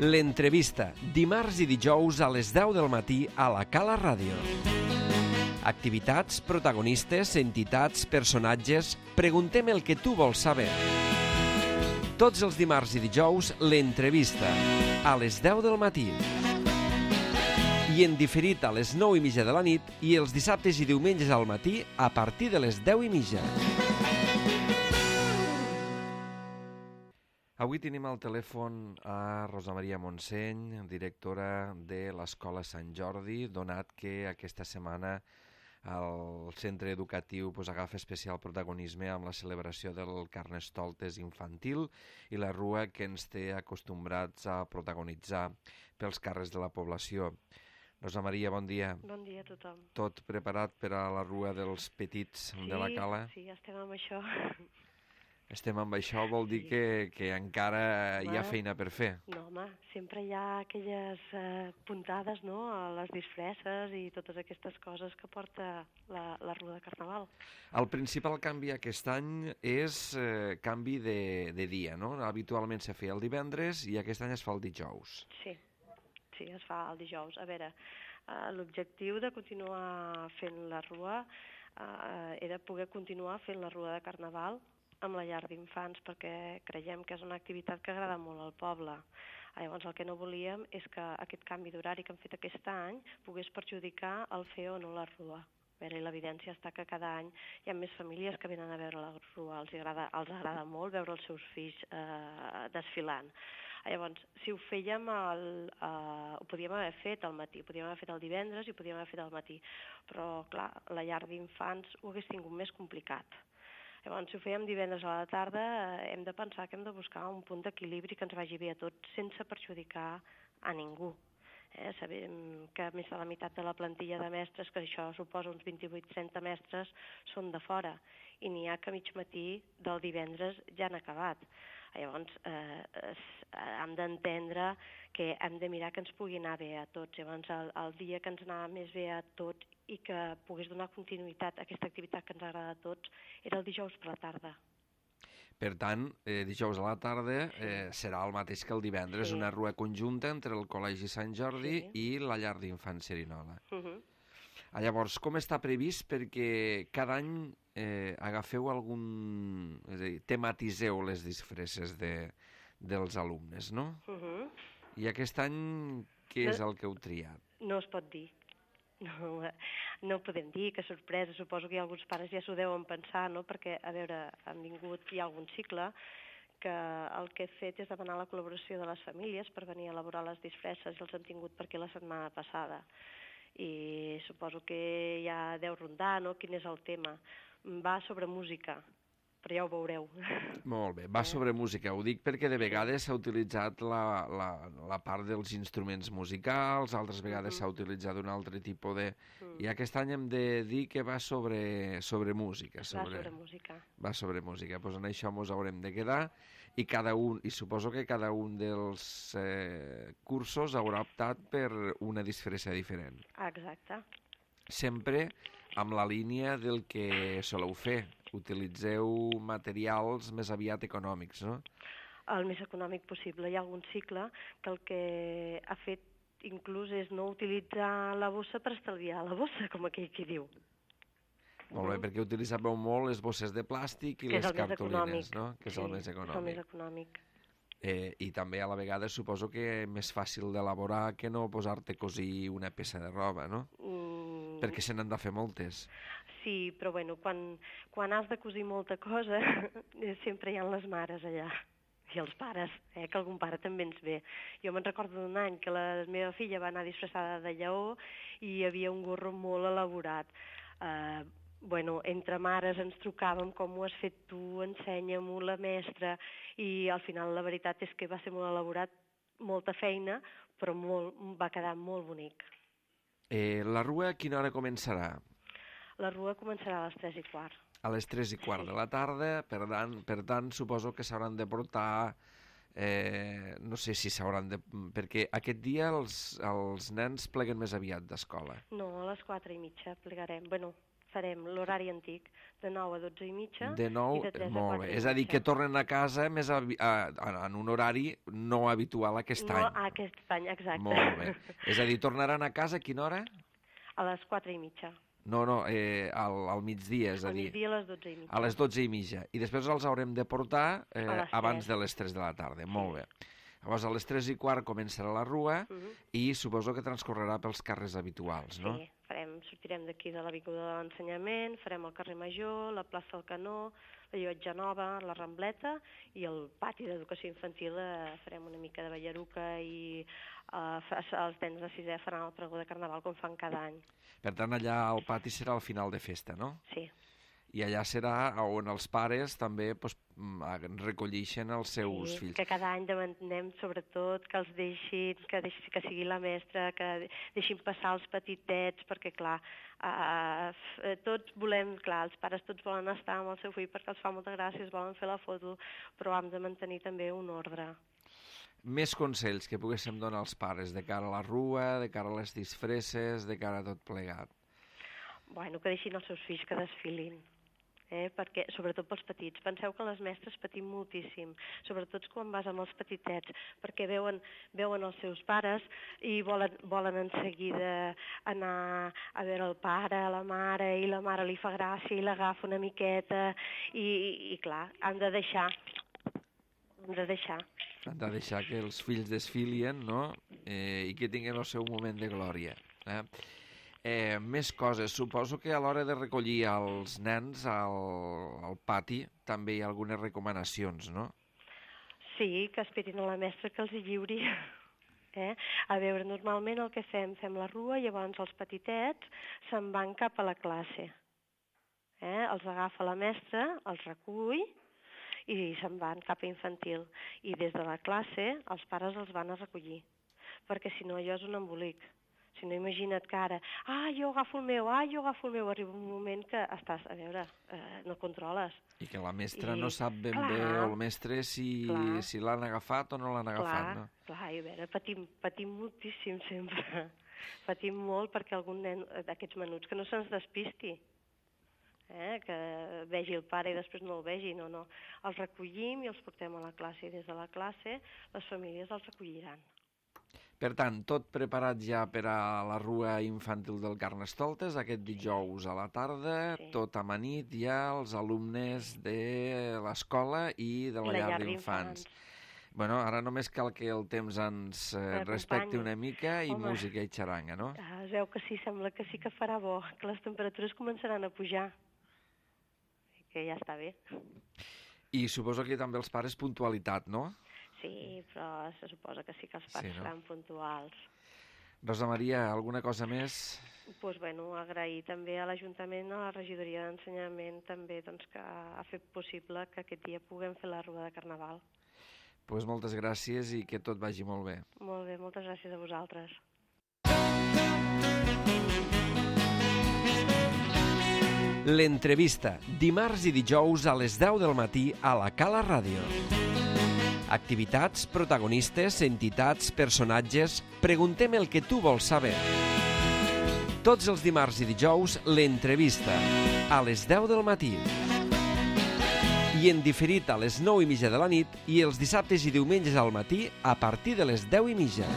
L'entrevista, dimarts i dijous a les 10 del matí a la Cala Ràdio. Activitats, protagonistes, entitats, personatges... Preguntem el que tu vols saber. Tots els dimarts i dijous, l'entrevista, a les 10 del matí. I en diferit a les 9:30 de la nit i els dissabtes i diumenges al matí a partir de les 10:30. Avui tenim al telèfon a Rosa Maria Montseny, directora de l'Escola Sant Jordi, donat que aquesta setmana el centre educatiu agafa especial protagonisme amb la celebració del Carnestoltes infantil i la rua que ens té acostumbrats a protagonitzar pels carrers de la població. Rosa Maria, bon dia. Bon dia a tothom. Tot preparat per a la rua dels petits de la Cala? Sí, estem amb això. Estem amb això, vol dir que encara hi ha feina per fer. No, home, sempre hi ha aquelles puntades, no?, a les disfresses i totes aquestes coses que porta la rua de Carnaval. El principal canvi aquest any és canvi de dia, no? Habitualment se feia el divendres i aquest any es fa el dijous. Sí, es fa el dijous. A veure, l'objectiu de continuar fent la rua era poder continuar fent la rua de Carnaval amb la llar d'infants, perquè creiem que és una activitat que agrada molt al poble. Llavors, el que no volíem és que aquest canvi d'horari que hem fet aquest any pogués perjudicar el fer o no la rua. A veure, l'evidència està que cada any hi ha més famílies que venen a veure la rua, els agrada molt veure els seus fills desfilant. Llavors, si ho fèiem, ho podíem haver fet al matí, ho podíem haver fet el divendres i ho podíem haver fet al matí, però, clar, la llar d'infants ho hagués tingut més complicat. Llavors, si ho fèiem divendres a la tarda, hem de pensar que hem de buscar un punt d'equilibri que ens vagi bé a tots sense perjudicar a ningú. Sabem que més de la meitat de la plantilla de mestres, que això suposa uns 28-30 mestres, són de fora, i n'hi ha que a mig matí del divendres ja han acabat. Llavors, hem d'entendre que hem de mirar que ens pugui anar bé a tots. Llavors, el dia que ens anava més bé a tots i que pogués donar continuïtat a aquesta activitat que ens agrada a tots era el dijous per la tarda. Per tant, dijous a la tarda serà el mateix que el divendres, una rua conjunta entre el Col·legi Sant Jordi i la llar d'infants Cerinola. Llavors, com està previst? Perquè cada any agafeu algun... És a dir, tematiseu les disfresses dels alumnes, no? I aquest any què és el que heu triat? No es pot dir. No podem dir, que sorpresa. Suposo que alguns pares ja s'ho deuen pensar, no? Perquè, a veure, hi ha algun cicle que el que he fet és demanar la col·laboració de les famílies per venir a elaborar les disfresses i els han tingut per aquí la setmana passada. I suposo que ja deu rondar, no?, quin és el tema. Va sobre música, però ja ho veureu. Molt bé, va sobre música. Ho dic perquè de vegades s'ha utilitzat la part dels instruments musicals, altres vegades s'ha utilitzat un altre tipus de... I aquest any hem de dir que va sobre música. Va sobre música. Va sobre música. Doncs en això ens haurem de quedar i suposo que cada un dels cursos haurà optat per una disfressa diferent. Exacte. Sempre amb la línia del que soleu fer. Utilitzeu materials més aviat econòmics, no? El més econòmic possible. Hi ha algun cicle que el que ha fet inclús és no utilitzar la bossa per estalviar la bossa, com aquell qui diu. Molt bé, perquè utilitzàveu molt les bosses de plàstic i les cartolines, no? Que és el més econòmic. És el més econòmic. I també a la vegada suposo que més fàcil d'elaborar que no posar-te a cosir una peça de roba, no? Perquè se n'han de fer moltes. Sí, però bueno, quan has de cosir molta cosa, sempre hi ha les mares allà, i els pares, que algun pare també ens ve. Jo me'n recordo d'un any que la meva filla va anar disfressada de lleó i hi havia un gorro molt elaborat. Bueno, entre mares ens trucàvem, com ho has fet tu, ensenya-m'ho, la mestra, i al final la veritat és que va ser molt elaborat, molta feina, però va quedar molt bonic. La rua a quina hora començarà? La rua començarà a les 3:15. A les 3:15 de la tarda, per tant, suposo que s'hauran de portar, no sé si s'hauran de... Perquè aquest dia els nens pleguen més aviat d'escola. No, a les 4:30 plegarem. Bueno, farem l'horari antic, de 9 a 12 i mitja De 9, i de 3 a 4 molt bé. i És a dir, mitja. que tornen a casa més en un horari no habitual aquest No, any. aquest any, exacte. Molt bé. És a dir, tornaran a casa a quina hora? A les 4 i mitja. No, al migdia, és a Al dir, migdia a les 12 i mitja. a les 12 i mitja. I després els haurem de portar les abans 3. de les 3 de la tarda. Molt bé. Llavors, a les 3 i quart començarà la rua i suposo que transcorrerà pels carrers habituals, no? Sí, sortirem d'aquí de l'Avinguda de l'Ensenyament, farem el carrer Major, la plaça del Canó, la Llotja Nova, la Rambleta i el pati d'educació infantil farem una mica de ballaruca i els nens de 6è faran el pregó de Carnaval com fan cada any. Per tant, allà al pati serà el final de festa, no? Sí. I allà serà on els pares també recollixen els seus fills. Que cada any demanem sobretot que els deixin, que sigui la mestra, que deixin passar els petitets, perquè clar, tots volem, clar, els pares tots volen estar amb el seu fill perquè els fa molta gràcia, es volen fer la foto, però hem de mantenir també un ordre. Més consells que poguéssim donar als pares de cara a la rua, de cara a les disfresses, de cara a tot plegat. Bueno, que deixin els seus fills que desfilin. Perquè, sobretot pels petits. Penseu que les mestres patim moltíssim, sobretot quan vas amb els petitets, perquè veuen els seus pares i volen en seguida anar a veure el pare, la mare, i la mare li fa gràcia i l'agafa una miqueta, i clar, han de deixar. Han de deixar que els fills desfilien, no? I que tinguin el seu moment de glòria. Més coses. Suposo que a l'hora de recollir els nens al pati també hi ha algunes recomanacions, no? Sí, que esperin a la mestra que els hi lliuri. A veure, normalment el que fem la rua i llavors els petitets se'n van cap a la classe. Els agafa la mestra, els recull i se'n van cap a infantil. I des de la classe els pares els van a recollir, perquè si no allò és un embolic. Si no, imagina't que ara, jo agafo el meu, arriba un moment que estàs, a veure, no controles. I que la mestra no sap ben bé, o el mestre, si l'han agafat o no l'han agafat, no? Clar, i a veure, patim moltíssim sempre. Patim molt perquè algun nen d'aquests menuts que no se'ns despisti, que vegi el pare i després no el vegi, no. Els recollim i els portem a la classe, i des de la classe les famílies els recolliran. Per tant, tot preparat ja per a la rua infantil del Carnestoltes, aquest dijous a la tarda, tot amanit ja els alumnes de l'escola i de la llar d'infants. Bueno, ara només cal que el temps ens respecti una mica i música i xaranga, no? Es veu que sí, sembla que sí que farà bo, que les temperatures començaran a pujar, que ja està bé. I suposo que també els pares puntualitat, no? Sí, però se suposa que sí que els pares seran puntuals. Rosa Maria, alguna cosa més? Doncs bueno, agrair també a l'Ajuntament, a la regidoria d'Ensenyament també que ha fet possible que aquest dia puguem fer la rua de Carnaval. Doncs moltes gràcies i que tot vagi molt bé. Molt bé, moltes gràcies a vosaltres. L'entrevista, dimarts i dijous a les 10 del matí a la Cala Ràdio. Activitats, protagonistes, entitats, personatges... Preguntem el que tu vols saber. Tots els dimarts i dijous, l'entrevista, a les 10 del matí. I en diferit a les 9:30 de la nit i els dissabtes i diumenges al matí a partir de les 10:30.